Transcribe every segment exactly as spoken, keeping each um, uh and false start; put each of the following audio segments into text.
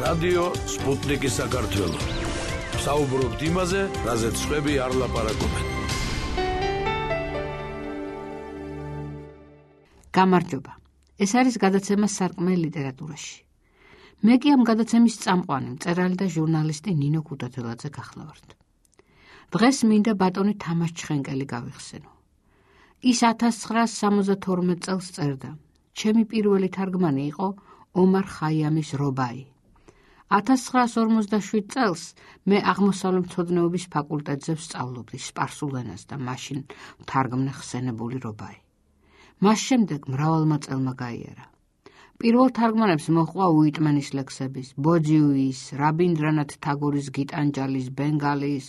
რადიო სპუტნიკი საქართველო. საუბრობთ იმაზე, რაზეც სხვები არ ლაპარაკობენ. გამარჯობა. ეს არის გადაცემა სარკმელი ლიტერატურაში. მე კი ამ გადაცემის წამყვანი, მწერალი და ჟურნალისტი ნინო ქუთათელაძე გახლავართ. დღეს მინდა ბატონი თამაშ ჩხენკელი გავიხსენო. ის ათას ცხრაას სამოცდათორმეტ წელს წერდა. ჩემი პირველი თარგმანი იყო ომარ ხაიამის რობაი. ათას ცხრაას ორმოცდაშვიდ წელს მე აღმოსავლეთმცოდნეობის ფაკულტეტზე ვსწავლობდი სპარსულ ენას და მაშინ თარგმნე ხსენებული რობაი. მას შემდეგ მრავალმა წელმა გაიარა. პირველ თარგმანებს მოჰყვა უიტმენის ლექსების, ბოძიუის, რაბინდრანათ თაგორის გიტანჯალის, ბენგალის,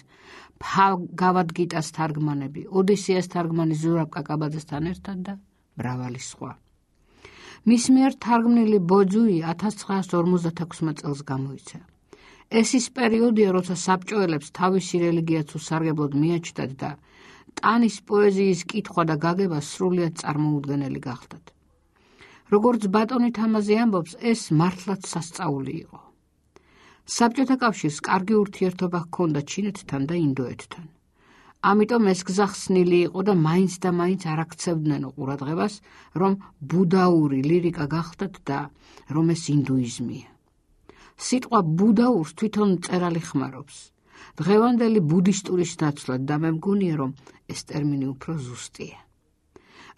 ბჰაგავად გიტას თარგმანები, ოდისეას თარგმანი ზურაბ კაკაბაძესთან ერთად და მრავალი სხვა. მის მიერ თარგმნილი ბოძიუი ათას ცხრაას ორმოცდათექვსმეტ წელს გამოიცა. ეს ის პერიოდია, როცა საბჭოელებს თავისი რელიგიაც უსარგებლოდ მიაჩნდათ და ტანის პოეზიის კითხვა და გაგება სრულიად წარმოუდგენელი გახდათ. როგორც ბატონი თამაზი ამბობს, ეს მართლაც სასწაული იყო. საბჭოთა კავშირს კარგი ურთიერთობა ჰქონდა ჩინეთთან და ინდოეთთან. ამიტომ ეს გზა ხსნილი იყო და მაინც და მაინც არ აქცევდნენ ყურადღებას, რომ ბუდაური ლირიკა გახდათ და რომ ეს ინდუიზმია. სიტყვა ბუდაურს თვითონ მწერალი ხმარობს. დღევანდელი ბუდისტურის ნაცვლად და მე მგონია, რომ ეს ტერმინი უფრო ზუსტია.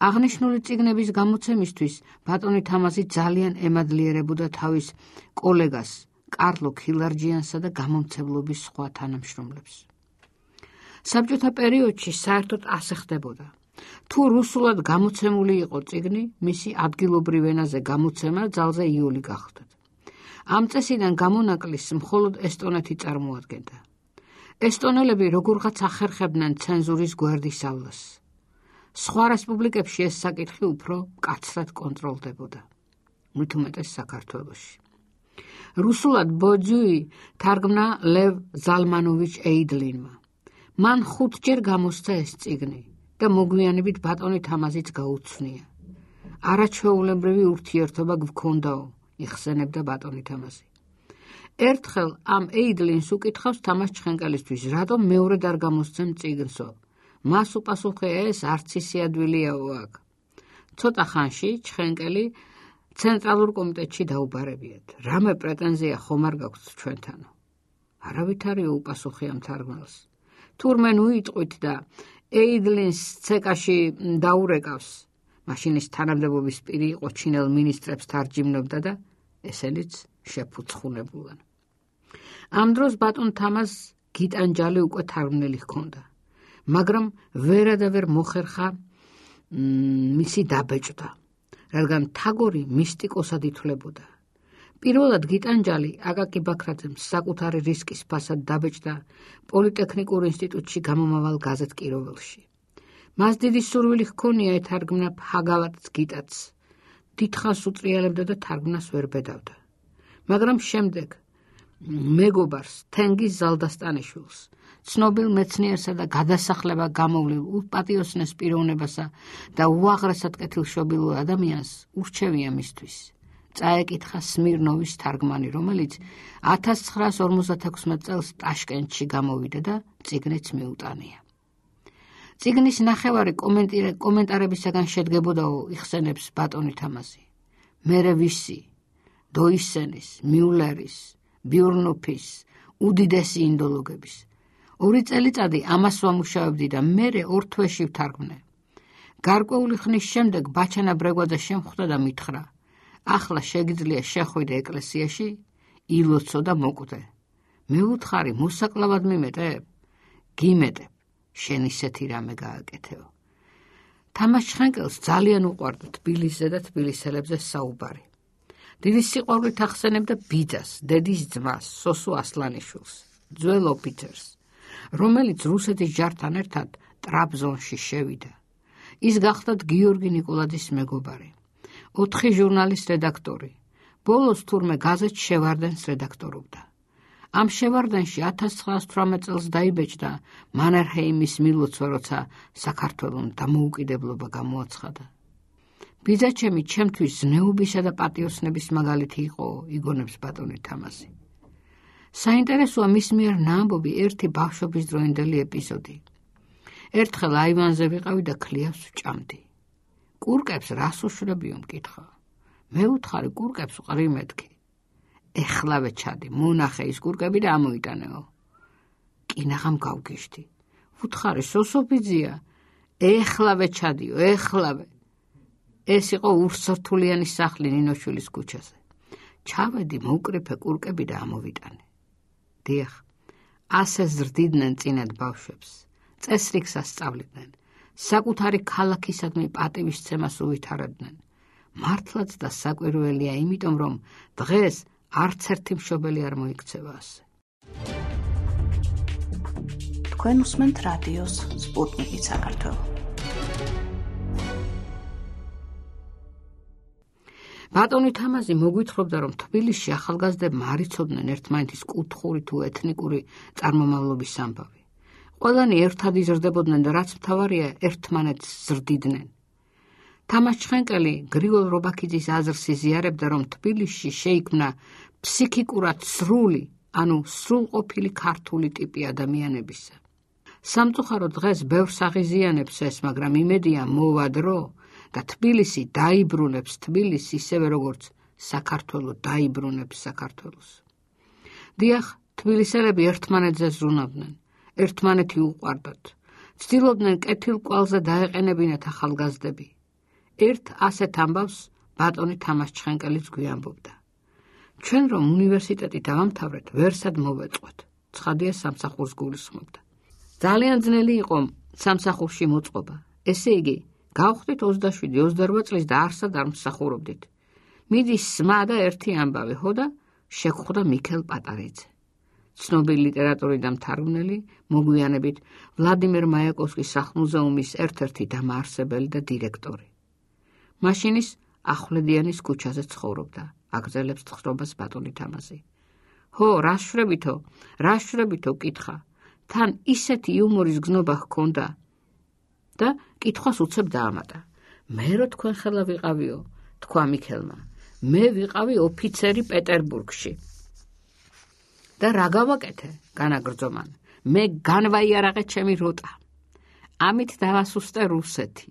აღნიშნული წიგნების გამოცემისთვის ბატონი თამაზი ძალიან ემადლიერებოდა თავის კოლეგას კარლო ქილარჯიანსა და გამომცემლობის სხვა თანამშრომლებს. საბჭოთა პერიოდში საერთოდ ასე ხდებოდა. თუ რუსულად გამოცემული იყო წიგნი, მისი ადგილობრივ ენაზე გამოცემა ძალზე იოლი გახდათ. ამ წესიდან გამონაკლისს მხოლოდ ესტონეთი წარმოადგენდა. ესტონელები როგორღაც ახერხებდნენ ცენზურის გვერდის ავლას. სხვა რესპუბლიკებში ეს საკითხი უფრო მკაცრად კონტროლდებოდა. მით უმეტეს საქართველოში. რუსულად ბოძიუი თარგმნა ლევ ზალმანოვიჩ ეიდლინმა. მან ხუთჯერ გამოსცა ეს წიგნი და მოგვიანებით ბატონი თამაზიც გაუცნია. არაჩვეულებრივი ურთიერთობა გვქონდაო, იხსენებდა ბატონი თამაზი. ერთხელ ამ ეიდლინს უკითხავს თამაშ ჩხენკელისთვის, რატომ მეორედ არ გამოსცემ წიგნსო. მას უპასუხე, ეს არც ისე ადვილიაო აქ. ცოტა ხანში ჩხენკელი ცენტრალურ კომიტეტში დაუბარებიათ. რამე პრეტენზია ხომ არ გაქვთ ჩვენთანო? არავითარიო, უპასუხე ამ თარგმნელს. თურმე უიტყვით და ეიდლინს ცეკაში დაურეკავს. მაშინ ის თანამდებობის პირი იყო, ჩინელ მინისტრებს თარჯიმნობდა და ესენიც შეფუცხუნებულან. ამ დროს ბატონ თამაზ გიტანჯალი უკვე თარგმნელი ჰქონდა, მაგრამ ვერა და ვერ მოხერხა მისი დაბეჭდა, რადგან თაგორი მისტიკოსად ითვლებოდა. პირველად გიტანჯალი აკაკი ბაქრაძემ საკუთარი რისკის ფასად დაბეჭდა პოლიტექნიკურ ინსტიტუტში გამომავალ გაზეთ კიროველში. მას დიდი სურვილი ჰქონია ეთარგმნა ბჰაგავად გიტაც. დიდხანს უტრიალებდა და თარგმნას ვერ ბედავდა. მაგრამ შემდეგ მეგობარს თენგიზ ზალდასტანიშვილს, ცნობილ მეცნიერსა და გადასახლება გამოვლილ უპატიოსნეს პიროვნებასა და უაღრესად კეთილშობილ ადამიანს ურჩევია მისთვის. წაეკითხა სმირნოვის თარგმანი, რომელიც ათას ცხრაას ორმოცდათექვსმეტ წელს ტაშკენტში გამოვიდა და წიგნიც მიუტანია. წიგნის ნახევარი კომენტარებისაგან შედგებოდაო, იხსენებს ბატონი თამაზი. მერე ვისი, დოისენის, მიულერის, ბიურნოფის, უდიდესი ინდოლოგების. ორი წელიწადი ამას ვამუშავებდი და მერე ორ თვეში ვთარგმნე. გარკვეული ხნის შემდეგ ბაჩანა ბრეგვაძე შემხვდა და მითხრა, ახლა შეგიძლია შეხვიდე ეკლესიაში, ილოცო და მოკვდე. მე ვუთხარი, მოსაკლავად მიმეტებ? გიმეტებ, შენ ისეთი რამე გააკეთეო. თამაშ ჩხენკელს ძალიან უყვარდა თბილისზე და თბილისელებზე საუბარი. დიდი სიყვარულით ახსენებდა ბიძას, დედის ძმას, სოსო ასლანიშვილს, ძველ ოფიცერს, რომელიც რუსეთის ჯართან ერთად ტრაბზონში შევიდა. ის გახდათ გიორგი ნიკოლაძის მეგობარი, ოთხი ჟურნალის რედაქტორი, ბოლოს თურმე გაზეთ შევარდენს რედაქტორობდა. ამ შევარდენში ათას ცხრაას თვრამეტ წელს დაიბეჭდა მანერჰეიმის მილოცვა, როცა საქართველოს დამოუკიდებლობა გამოაცხადა. ბიძაჩემი ჩემთვის ზნეობისა და პატიოსნების მაგალითი იყო, იგონებს ბატონი თამაზი. საინტერესოა მის მიერ ნაამბობი ერთი ბავშვობის დროინდელი ეპიზოდი. ერთხელ აივანზე ვიყავი და ქლიავს ვჭამდი. კურკებს რას უშრებიო მკითხა. მე უთხარი კურკებს ვყრი მეთქი. ეხლავე ჩადი, მონახე ის კურკები და ამოიტანეო. კინაღამ გავგიშდი. ვუთხარი სოსოფიძია, ეხლავე ჩადიო, ეხლავე. ეს იყო ურსართულიანი სახლი ნინოშვილის ქუჩაზე. ჩავედი, მოვკრიფე კურკები და ამოვიტანე. დიახ, ასე ზრდიდნენ წინად ბავშვებს, წესრიგს ასწავლიდნენ, საკუთარი ქალაქისადმი პატივისცემას უვითარებდნენ. მართლაც და საკვირველია, იმიტომ რომ დღეს არც ერთი მშობელი არ მოიქცევა ასე. თქვენ უსმენთ რადიოს სპუტნიკი საქართველო. ბატონი თამაზი მოგვითხრობდა, რომ თბილისში ახალგაზრდებმა არ იცოდნენ ერთმანეთის კუთხური თუ ეთნიკური წარმომავლობის ამბავი. ყველანი ერთად იზრდებოდნენ და რაც მთავარია, ერთმანეთს ზრდიდნენ. თამაზ ჩხენკელი გრიგოლ რობაქიძის აზრს იზიარებდა, რომ თბილისში შეიქმნა ფსიქიკურად სრული, ანუ სრულყოფილი ქართული ტიპი ადამიანებისა. სამწუხაროდ დღეს ბევრს აღიზიანებს ეს, მაგრამ იმედია მოვა დრო და თბილისი დაიბრუნებს თბილისს ისევე როგორც საქართველო დაიბრუნებს საქართველოს. დიახ, თბილისელები ერთმანეთზე ზრუნავდნენ, ერთმანეთი უყვარდათ, ცდილობდნენ კეთილ კვალზე დაეყენებინათ ახალგაზრდები. ერთ ასეთ ამბავს ბატონი თამაზ ჩხენკელიც გვიამბობდა. ჩვენ რომ უნივერსიტეტი დავამთავრეთ, ვერსად მოვეწყვეთ. ცხადია სამსახურს გულისხმობდა. ძალიან ძნელი იყო სამსახურში მოწყობა. ესე იგი, გავხდით ოცდაშვიდი ოცდაორვა წლის და არსად არ მსახურობდით. მიდის სმა და ერთი ამბავი, ხო და შეგხვდა მიქელ პატარიძე. ცნობილი ლიტერატურის დამთარგმნელი, მოგვიანებით ვლადიმერ მაიაკოვსკის სახლ-მუზეუმის ერთ-ერთი დამაარსებელი და დირექტორი. მაშინის ახვლედიანის ქუჩაზე ცხოვრობდა, აგრძელებს ცხოვრებას ბატონი თამაზი. ჰო, რა შვრებითო, რა შვრებითო კითხა. თან ისეთი იუმორის გზნობა ჰქონდა და კითხვას უცებ დაამატა. მე რო თქვენ ხელა ვიყავიო, თქვა მიქელმა. მე ვიყავი ოფიცერი პეტერბურგში. და რა გავაკეთე, განაგრძომან. მე განვაიარაღე ჩემი როტა. ამით დავასუსტე რუსეთი.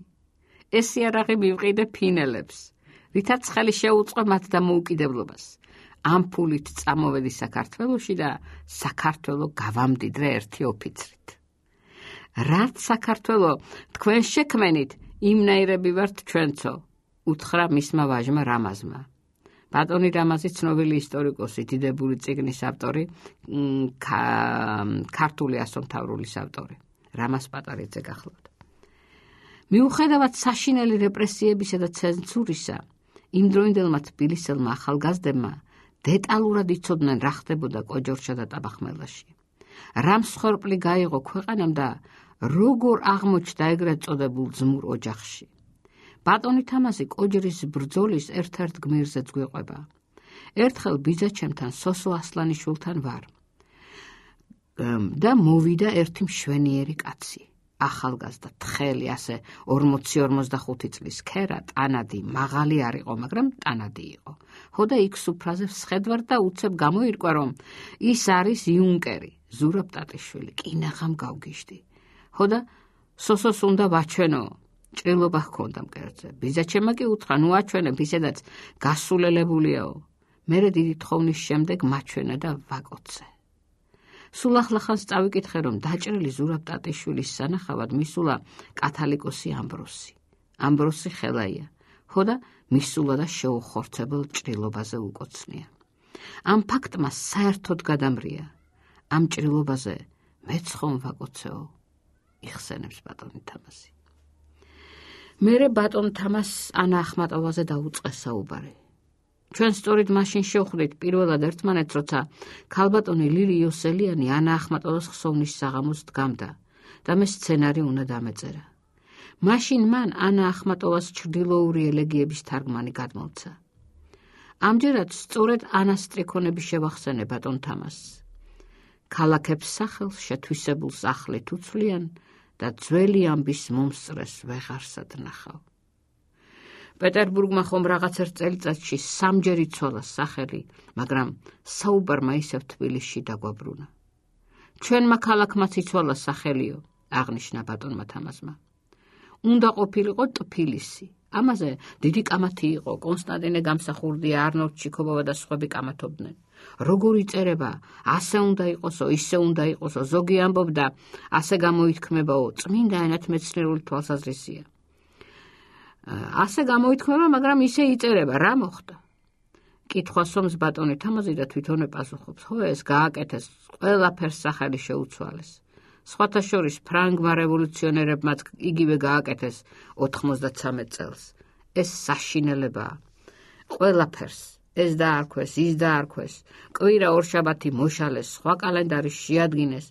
ეს იარაღი მივყიდე ფინელებს, რითაც ხელი შეუწყო მათ დამოუკიდებლობას. ამ ფულით წამოვედი საქართველოში და საქართველო გავამდიდრე ერთი ოფიცრით. რაც საქართველო თქვენ შექმენით, იმნაირები ვართ ჩვენცო, უთხრა მისმა ვაჟმა რამაზმა. ბატონი რამაზი ცნობილი ისტორიკოსი, დიდებული წიგნის ავტორი, ქართული ასომთავრულის ავტორი. რამაზ პატარიძე გახლავთ. მიუხედავად საშინელი რეპრესიებისა და ცენზურისა, იმდროინდელმა თბილისელმა ახალგაზრდებმა დეტალურად იცოდნენ რა ხდებოდა კოჯორშა და ტაბახმელაში. რა მსხვერპლი გაიღო ქვეყანამ და როგორ აღმოჩნდა ეგრეთ წოდებულ ძმურ ოჯახში. ბატონი თამაზი კოჯრის ბრძოლის ერთ-ერთ გმირზეც გვიყვება. ერთხელ ბიძაჩემთან სოსო ასლანიშვილთან ვარ და მოვიდა ერთი მშვენიერი კაცი. ახალგაზრდა, თხელი, ასე ორმოცი ორმოცდახუთი წლის ქერა, ტანადი, მაღალი არ იყო, მაგრამ ტანადი იყო. ხო და იქ სუფრაზე ვსხედვარ და უცებ გამოირკვა, რომ ის არის იუნკერი, ზურაბ ტატიშვილი, კინაღამ გავგიშდი. ხო და სოსოს უნდა ვაჩვენო, ჭრილობა ჰქონდა მკერდზე. ბიძაჩემმა კი უთხრა, ნუ აჩვენებ, ისედაც გასულელებულია. მერე დიდი თხოვნის შემდეგ მაჩვენა და ვაკოცე. სულ ახლახანს წავიკითხე, რომ დაჭრილი ზურაბ ტატიშვილის სანახავად მისულა კათალიკოსი ამბროსი. ამბროსი ხელაია, ხო და მისულა და შეუხორცებელ ჭრილობაზე უკოცნია. ამ ფაქტმა საერთოდ გადამრია. ამ ჭრილობაზე მეც ხომ ვაკოცეო, იხსენებს ბატონი თამაზი. მერე ბატონ თამაზ ანა ახმატოვაზე დაუწყე საუბარი. ჩვენ სწორედ მაშინ შევხვდით პირველად ერთმანეთს, როცა ქალბატონი ლილი იოსელიანი ანა ახმატოვას ხსოვნის საღამოს დგამდა და მე სცენარი უნდა დამეწერა. მაშინ მან ანა ახმატოვას ჩრდილოური ელეგიების თარგმანი გადმოცა. ამჯერად სწორედ ანას სტრიქონები შევახსენე ბატონ თამაზს. ქალაქებს სახელს შეთვისებულს ახლით უცვლიან და ძველი ამბის მომსწრეს ვეღარსად ნახავ. პეტერბურგმა ხომ რაღაც ერთ წელიწადში სამჯერ იცვალა სახელი, მაგრამ საუბარმა ისევ თბილისში დაგვაბრუნა. ჩვენმა ქალაქმაც იცვალა სახელიო, აღნიშნა ბატონმა თამაზმა. უნდა ყოფილიყო ტფილისი. ამაზე დიდი კამათი იყო, კონსტანტინე გამსახურდია, არნოლდ ჩიქობავა და სხვები კამათობდნენ. როგორ იწერება, ასე უნდა იყოსო, ისე უნდა იყოსო, ზოგი ამბობდა, ასე გამოითქმებაო, წმინდა ენათმეცნიერული თვალსაზრისია. ასე გამოითქმება, მაგრამ ისე იწერება, რა მოხდა? კითხვას ომს ბატონი თამაზი და თვითონ ეპასუხობს, ხო ეს გააკეთეს, ყველაფერს სახელი შეუცვალეს. სხვათა შორის ფრანგმა რევოლუციონერებმაც იგივე გააკეთეს ოთხმოცდათსამეტ წელს. ეს საშინელებაა. ყველაფერს ეს დაარქვეს, ის დაარქვეს, კვირა ორშაბათი მოშალეს, სხვა კალენდარი შეადგინეს,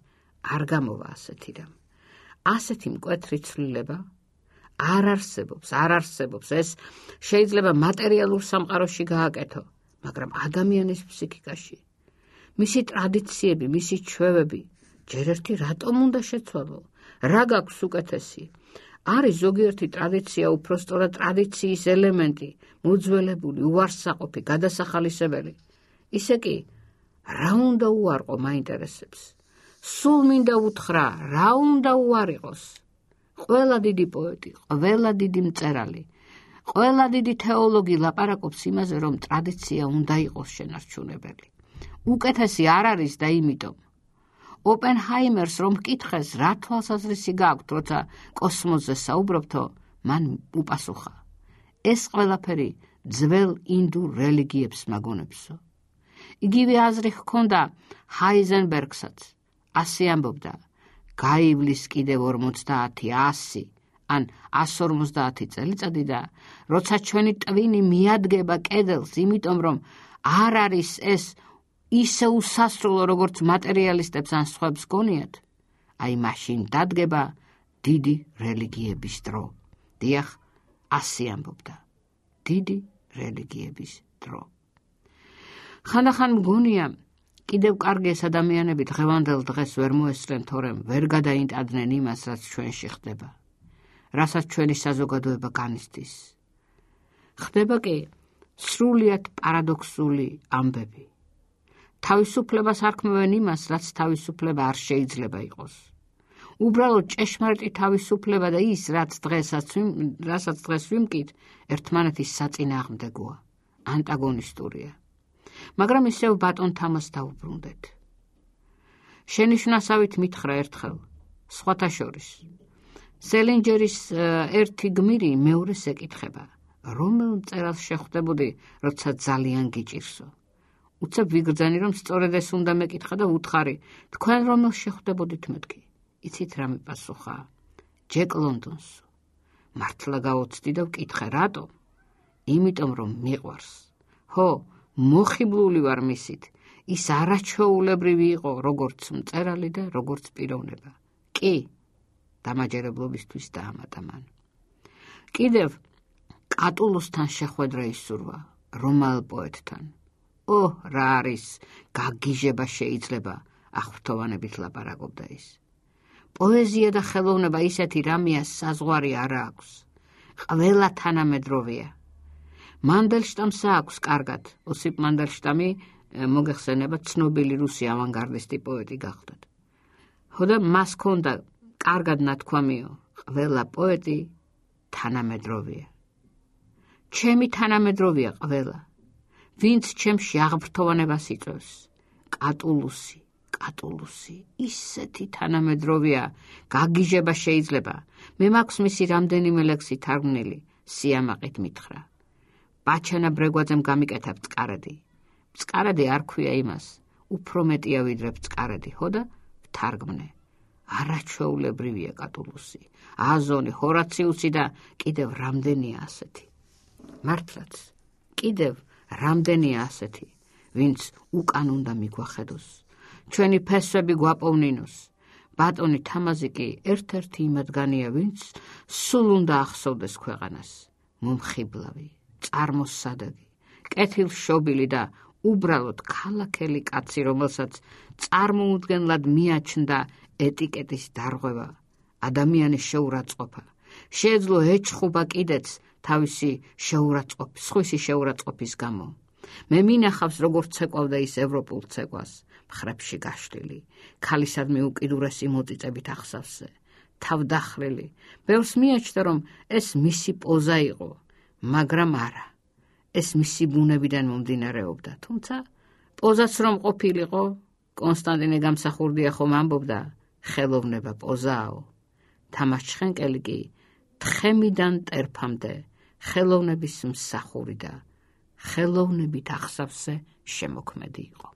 არ გამოვა ასეთი რამ. ასეთი მკვეთრი ცვლილება არ არსებობს, არ არსებობს. ეს შეიძლება მატერიალურ სამყაროში გააკეთო, მაგრამ ადამიანის ფსიქიკაში, მისი ტრადიციები, მისი ჩვევები, ჯერ ერთი რატომ უნდა შეცვალო? რა გაქვს უკეთესი? არის ზოგიერთი ტრადიცია უпроსტორად ტრადიციის ელემენტი, მოძველებული, უარსაყოფი, გადასახალისებელი. ისე კი, რა უნდა უარყო მაინტერესებს? სულ მინდა უთხრა, რა უნდა უარიყოს? ყველა დიდი პოეტი, ყველა დიდი მწერალი, ყველა დიდი თეოლოგი ლაპარაკობს იმაზე, რომ ტრადიცია უნდა იყოს შენარჩუნებელი. უკეთესი არ არის და იმიტომ. ოპენჰაიმერს რომ მკითხეს, რა თვალსაზრისი გაქვთ, როცა კოსმოსზე საუბრობთო, მან უპასუხა. ეს ყველაფერი ძველ ინდურ რელიგიებს მაგონებსო. იგივე აზრი ჰქონდა ჰაიზენბერგსაც. ასე ამბობდა, გაივლის კიდევ ორმოცდაათი, ასი, ან ასს ორმოცდაათი წელიწადი და როცა ჩვენი ტვინი მიადგება კედელს, იმიტომ რომ არ არის ეს ისე უსასრულო, როგორც მატერიალისტებს ან სხვებს გონიათ, აი მაშინ დადგება დიდი რელიგიების დრო. დიახ, ასე ამბობდა, დიდი რელიგიების დრო. ხანდახან მგონია, კიდევ კარგი ეს ადამიანები დღევანდელ დღეს ვერ მოესწრენ, თორემ ვერ გადაინტადნენ იმას, რაც ჩვენში ხდება, რასაც ჩვენი საზოგადოება განიცდის. ხდება კი სრულიად პარადოქსული ამბები. თავისუფლებას არქმევენ იმას, რაც თავისუფლება არ შეიძლება იყოს. უბრალოდ ჭეშმარიტი თავისუფლება და ის, რაც დღესაც რასაც დღეს ვიმკით, ერთმანეთის საწინააღმდეგოა, ანტაგონისტურია. მაგრამ ისევ ბატონ თამაზს დავუბრუნდეთ. შენიშვნასავით მითხრა ერთხელ, სხვათა შორის. სელინჯერის ერთი გმირი მეორეს ეკითხება, რომელ მწერალს შეხვდებოდი, როცა ძალიან გიჭირსო. უცებ ვიგრძანი, რომ სწორედ ეს უნდა მეკითხა და უთხარი, თქვენ რომელს შეხვდებოდით მეთქი? იცით რა მიპასუხა? ჯეკ ლონდონს. მართლა გავოცდი და ვკითხე, რატომ? იმიტომ რომ მიყვარს. ხო, მოხიბლული ვარ მისით. ის არაჩვეულებრივი იყო, როგორც მწერალი და როგორც პიროვნება. კი, დამაჯერებლობისთვის დაამატა მან. კიდევ კატულუსთან შეხვედრა ისურვა, რომაელ პოეტთან. ო, რა არის, გაგიჟება შეიძლება, აღფრთოვანებით ლაპარაკობდა ის. პოეზია და ხელოვნება ისეთი რამეა, საზღვარი არ აქვს. ყველა თანამედროვეა. მანდელშტამსა აქვს კარგად, ოსიპ მანდელშტამი მოგეხსენება ცნობილი რუსი ავანგარდისტი პოეტი გახლდათ. ხო და მას ჰქონდა კარგად ნათქვამიო, ყველა პოეტი თანამედროვეა. ჩემი თანამედროვეა ყველა. ვინც ჩემში აღფრთოვანებას იწევს, კატულუსი, კატულუსი, ისეთი თანამედროვეა, გაგიჟება შეიძლება. მე მაქვს მისი რამდენიმე ლექსი თარგმნილი, სიამაყით მითხრა. ბაჩანა ბრეგვაძემ გამიკეთა ბწყარადი. ბწყარადი არ ქვია იმას, უფრო მეტია ვიდრე ბწყარადი, ხო და ვთარგმნე. არაჩვეულებრივია კატულუსი, აზონი, ჰორაციუსი და კიდევ რამდენია ასეთი. მართლაც, კიდევ რამდენია ასეთი, ვინც უკან უნდა მიგვახედოს, ჩვენი ფესვები გვაპოვნინოს. ბატონი თამაზი კი ერთ-ერთი იმათგანია, ვინც სულ უნდა ახსოვდეს ქვეყანას. მომხიბლავი, წარმოსადეგი, კეთილშობილი და უბრალოდ ქალაქელი კაცი, რომელსაც წარმოუდგენლად მიაჩნდა ეტიკეტის დარღვევა, ადამიანის შეურაცხყოფა. შეეძლო ეჩხუბა კიდეც თავისი შეურაცხყოფის, სხვისი შეურაცხყოფის გამო. მე მინახავს, როგორც ცეკვავდა ის ევროპულ ცეკვას, მხრებში გაშლილი, ქალისადმი უკიდურესი მოწიწებით ახსავსზე, თავდახრილი. ბევრს მიაჩნდა, რომ ეს მისი პოზა იყო, მაგრამ არა. ეს მისი ბუნებიდან მომდინარეობდა, თუმცა პოზაც რომ ყოფილიყო, კონსტანტინე გამსახურდია ხომ ამბობდა, ხელოვნება პოზააო. თამაშჩხენკელი კი თხემიდან ტერფამდე ხელოვნების მსახური და ხელოვნებით ახსავსზე შემოქმედი იყო.